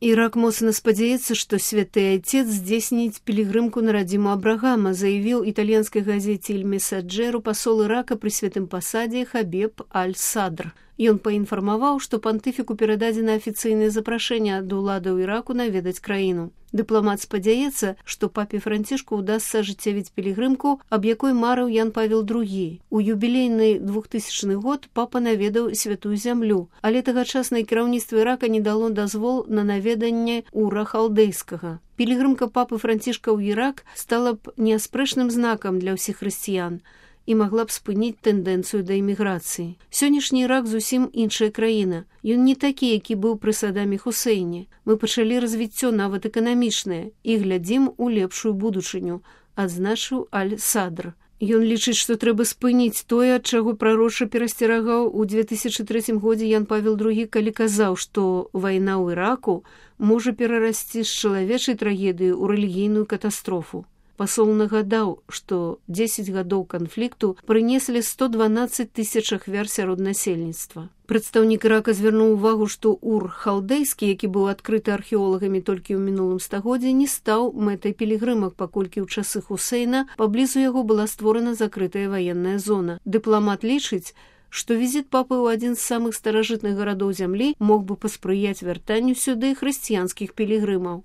Ірак моцна спадзяецца, што святы айцец здзейсніць пілігрымку на радзіму Абрагама, заявіў італьянскай газеце «Иль Месаджеру» пасол Ірака пры святым пасадзе Хабеб Аль-Садр. Ён паінфармаваў, што пантыфіку перададзена афіцыйнае запрашэнне ад уладаў Іраку наведаць краіну. Дыпламат спадзяецца, што папе Францішку ўдасца ажыццявіць пілігрымку, аб якой марыў Ян Павел II. У юбілейны 2000 год папа наведаў святую зямлю, але тагачаснае кіраўніцтва Ірака не дало дазвол на наведанне Ура халдэйскага. Пілігрымка папы Францішка ў Ірак стала б неаспрэчным знакам для ўсіх хрысціян і магла б спыніць тэндэнцыю да эміграцыі. Сённяшні Ірак зусім іншая краіна. Ён не такі, які быў пры Садаме Хусейне. Мы пачалі развіццё нават эканамічнае і глядзім у лепшую будучыню, адзначыў Аль-Садр. Ён лічыць, што трэба спыніць тое, ад чаго прароча перасцерагаў у 2003 годзе Ян Павел II, калі казаў, што вайна ў Іраку можа перарасці з чалавечай трагедыі ў рэлігійную катастрофу. Пасол нагадаў, што 10 гадоў канфлікту прынеслі 112 тысяч ахвяр сярод насельніцтва. Прадстаўнік Ірака звярнуў увагу, што Ур халдэйскі, які быў адкрыты археолагамі толькі ў мінулым стагоддзі, не стаў мэтай пілігрымак, паколькі ў часы Хусейна паблізу яго была створана закрытая ваенная зона. Дыпламат лічыць, што візіт папы ў адзін з самых старажытных гарадоў зямлі мог бы паспрыяць вяртанню сюды хрысціянскіх пілігрымаў.